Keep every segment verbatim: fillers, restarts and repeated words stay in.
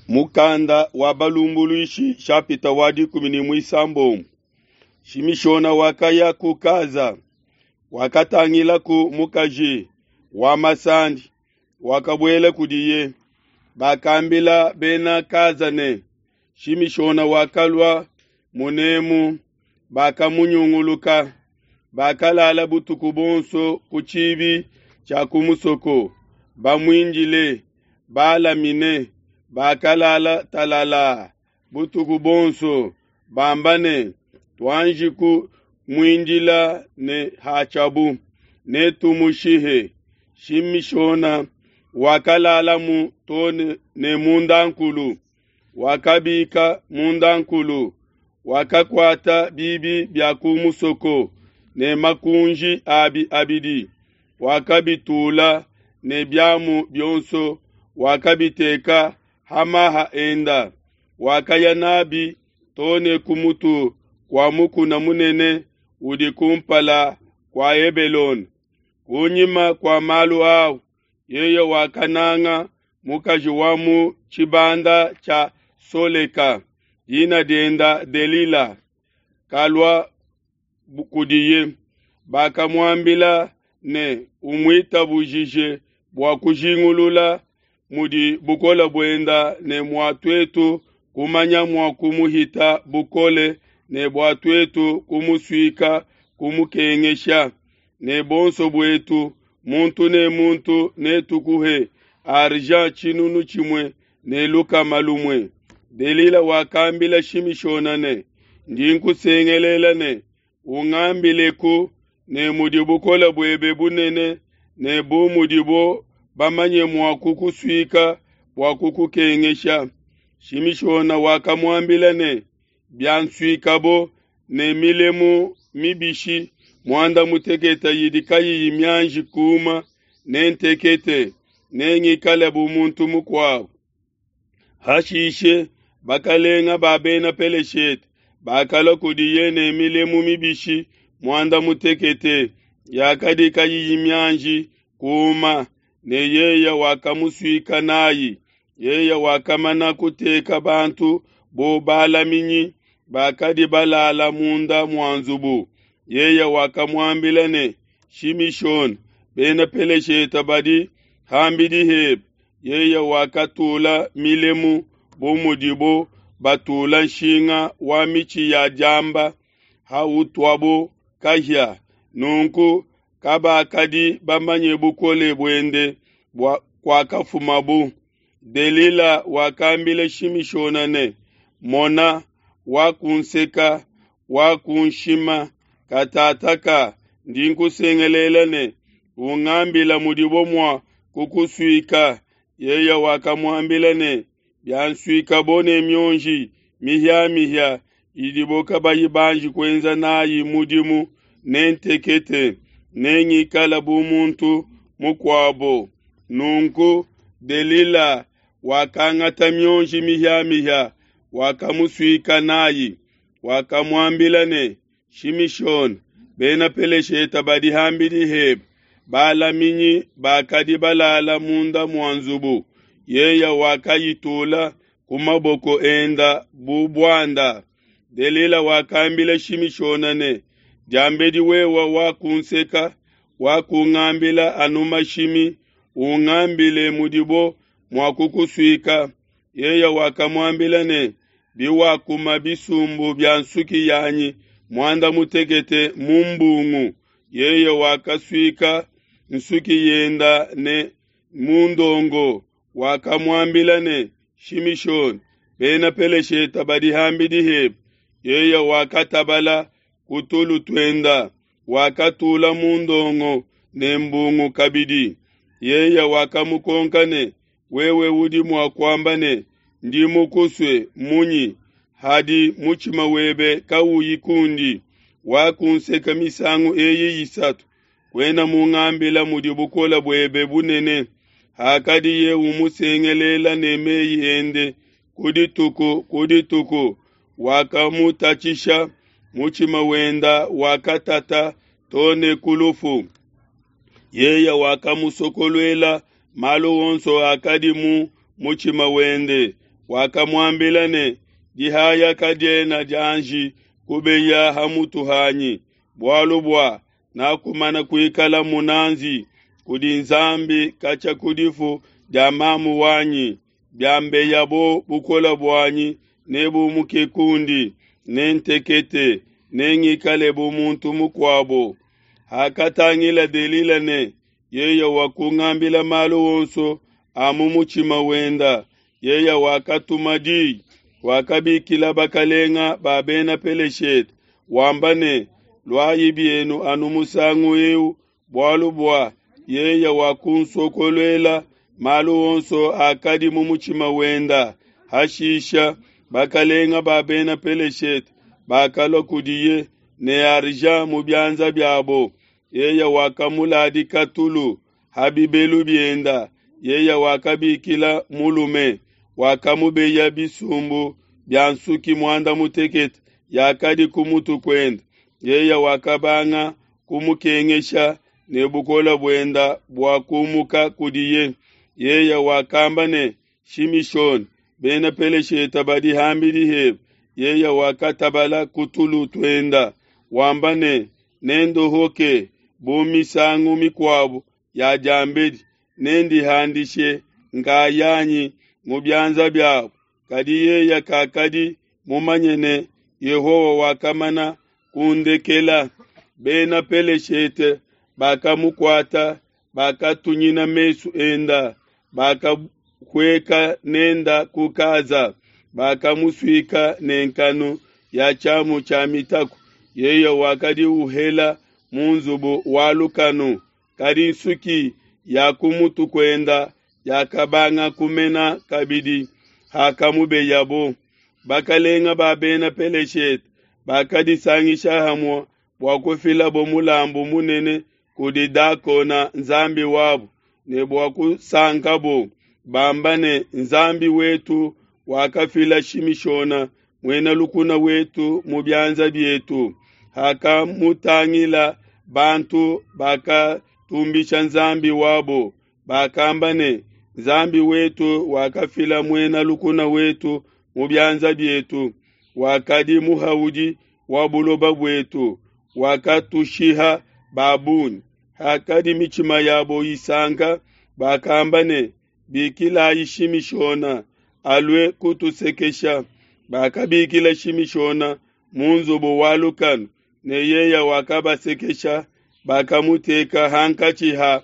Mukanda wa balumbuluishi shapita wa dikumi ne muisambombo. Shimishona wakaya ku Kaza, wakatangilaku mukaji wa masandi, wakabuela kudiye. Bakambila bena Kaza ne, Shimishona wakalua munemu. Bakamunyunguluka, bakalala butuku buonso ku tshibi tshia ku musoko, bamuindile, balamine. Bakalala talala butuku buonso, bamba ne, tuanji kumuindila ne hatshiabu, netumushihe. Shimishona wakalalamu to ne mundankulu, wakabika mundankulu, wakakuata bibi bia ku musoko ne makunji abi abidi, wakabitula ne biamu bionso, wakabiteka hamaha enda, wakaya nabi to ne ku mutu kua mukuna munene udi kumpala kua Hebelone. Kunyima kua malu au, yeye wakananga mukaji wa mu tshibanda tshia Soleka, dina dienda Delila, kalua kudiye. Bakamuambila ne, umuitabujije bua kujingulula mudi bukole buenda ne mua tuetu kumanya mua kumuhita bukole ne bua tuetu kumusuika kumukengesha. Ne bonso buetu muntu ne muntu netukuhe argent tshinunu tshimue ne lukama lumue. Delila wakambila Shimishona ne, ndi nkusengelela ne, ungambileku ne mudi bukole buebe bunene ne bu mudibo bamanye mua kukusuika bua kukukengesha. Shimishona wakamuambila ne, biansuikabo ne milemu mibishi muanda mutekete yidi kayiyi mianji kuma, nentekete, nengikale bu muntu mukuabo. Hashishe bakalenga ba bena Peleshete bakalua kudiye ne milemu mibishi muanda mutekete yakadi kayiyi mianji kuma, ne yeye wakamusuika nayi. Yeye wakamana kuteka bantu bo balaminyi bakadi balala munda mua nzubu. Yeye wakamuambila ne, Shimishona, bena Peleshete badi hambidi hebe. Yeye wakatula milemu bu mudibo batula nshinga wa mitshi ya diamba hautuabo kahia. Nunku kabakadi bamanye bukole buende bua kuakafumabu. Delila wakambila Shimishona ne, mona, wakunseka, wakunshima, katataka ndi nkusengelela ne, ungambila mudibo mua kukusuika. Yeye wakamuambila ne, biansuikabo ne mionji mihia-mihia idibo kabayi banji kuenza nayi mudimu, nentekete, nengikale bu muntu mukuabo. Nunku Delila wakangata mionji mihia-mihia, wakamusuika nayi. Wakamuambila ne, Shimishona, bena Peleshete badi hambidi hebe. Balaminyi bakadi balala munda mua nzubu. Yeye wakayitula ku maboko enda bu buanda. Delila wakambila Shimishona ne, diambedi wewe wakunseka, wakungambila anu mashimi, ungambile mudibo mua kukusuika. Yeye wakamuambila ne, biwakuma bisumbu bia nsuki yanyi muanda mutekete mu mbungu. Yeye wakasuika nsuki yenda ne mundongo. Wakamuambila ne, Shimishona, bena Peleshete badi hambidi hebe. Yeye wakatabala ku tulu tuenda, wakatula mundongo ne mbungu kabidi. Yeye wakamukonka ne, wewe udi mua kuamba ne, ndi mukusue munyi, hadi mutshima webe kauyi kundi? Wakunseka misangu eyi isatu, kuena mungambila mudi bukole buebe bunene. Hakadiye umusengelela ne meyi ende ku dituku ku dituku, wakamutatshisha, mutshima wenda wakatata to ne ku lufu. Yeye wakamusokoluela malu onso akadi mu mutshima wende. Wakamuambila ne, Dihaya kadiena dianji kubeya ha mutu hanyi, bualu bua nakumana kuikala munazi kudi Nzambi katshia ku difu dia mamu wanyi. Biambeyabo bukole buanyi nebumuke kundi, nentekete, nengikale bu muntu mukuabo. Hakatangila Delila ne yeye wakungambila malu onso a mu mutshima wenda, yeye wakatuma di, wakabikila bakalenga ba Bena Peleshete, wamba ne, Luayi bienu anu musangu eu, bualu bua yeye wakunsokoluela malu onso akadi mu mutshima wenda. Hashisha bakalenga ba Bena Peleshete bakalua kudiye ne argent mu bianza biabo. Yeye wakamuladika tulu ha bibelu bienda. Yeye wakabikila mulume, wakamubeya bisumbu bia nsuki muanda mutekete yakadi ku mutu kuende. Yeye wakabanga kumukengesha ne bukole buenda buakumuka kudiye. Yeye wakamba ne, Shimishone, Bena Peleshete badi ham'bidi hebe. Yeye wakatabala ku tulu tuenda, wamba ne, Nendohoke bu misangu mikuabo ya diambedi, nendihandishe nkayanyi mu bianza biabo. Kadi yeye kakadi mumanye ne, Yehowa wakamana kundekela. Bena Peleshete bakamukuata, bakatunyina mesu enda, bakahueka nenda ku Kaza, bakamusuika ne nkanu ya tshiamu tshia mitaku. Yeye wakadi uhela mu nzubu wa lukanu, kadi nsuki ya ku mutu kuenda yakabanga kumena kabidi hakamubeyabo. Bakalenga ba Bena Peleshete bakadisangisha hamue bua kufilabo mulambu munene kudi Dakona nzambi wabo, ne bua kusankabo, bamba ne, Nzambi wetu wakafila Shimishona muena lukuna wetu mu bianza bietu. Hakamutangila bantu bakatumbisha nzambi wabo, bakamba ne, Nzambi wetu wakafila muena lukuna wetu mu bianza bietu, wakadi muhaudi wa buloba buetu, wakatushiha ba bungi. Hakadi mitshima yabo isanka, bakamba ne, Bikilayi Shimishona alue kutusekesha. Bakabikila Shimishona mu nzubu wa lukanu, ne yeye wakabasekesha. Bakamuteka hankatshi ha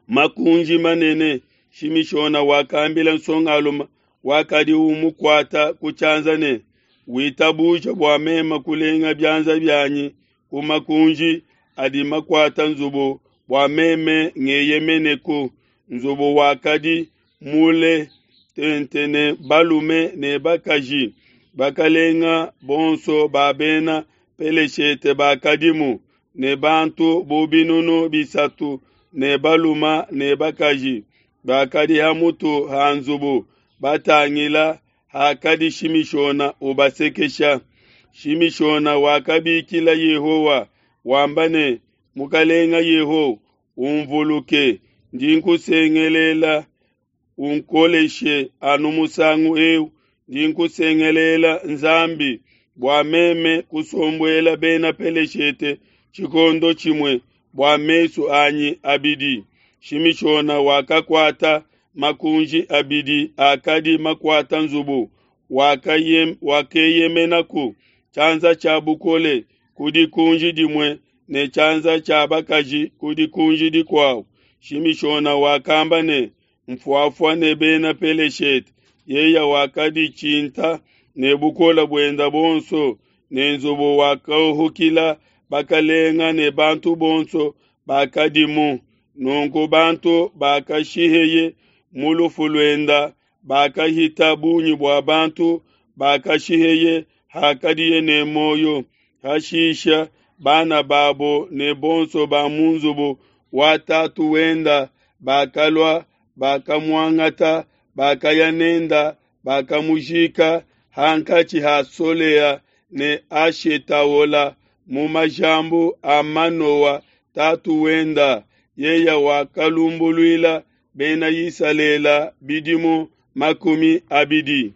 makunji manene. Shimishona wakambila nsongalume wakadi umukuata ku tshianza ne, Witabuja bua meme kulenga bianza bianyi ku makunji adi makuata nzubu, bua meme ngeyemeneku. Nzubu wakadi mule tente ne balume ne bakaji. Bakalenga bonso ba Bena Peleshete bakadimu, ne bantu bu binunu bisatu ne balume ne bakaji bakadi ha mutu ha nzubu batangila hakadi Shimishona ubasekesha. Shimishona wakabikila Yehowa wamba ne, Mukalenga Yehowa, umvuluke, ndi nkusengelela, unkoleshe anu musangu eu. Ndi nkusengelela Nzambi bua meme kusombuela Bena Peleshete tshikondo tshimue bua mesu anyi abidi. Shimishona wakakuata makunji abidi akadi makuata nzubu, wakeyemenaku tshianza tshia bukole ku dikunji dimue ne tshianza tshia bakaji ku dikunji dikuabo. Shimishona wakamba ne, Mfuafua ne Bena Peleshete. Yeye wakaditshinta ne bukole buenda buonso, ne nzubu wakahukila bakalenga ne bantu bonso bakadimu. Nunku bantu bakashiheye mu lufu luenda bakahita bungi bua bantu bakashiheye hakadiye ne muoyo. Hashisha bana babo ne bonso ba mu nzubu wa tatu wenda bakalua, bakamuangata, bakaya nenda, bakamujika hankatshi ha Solea ne Ashetaola mu majambu a Manoa tatu wenda. Yeye wakalumbuluila Bena Isalele bidimu makumi abidi.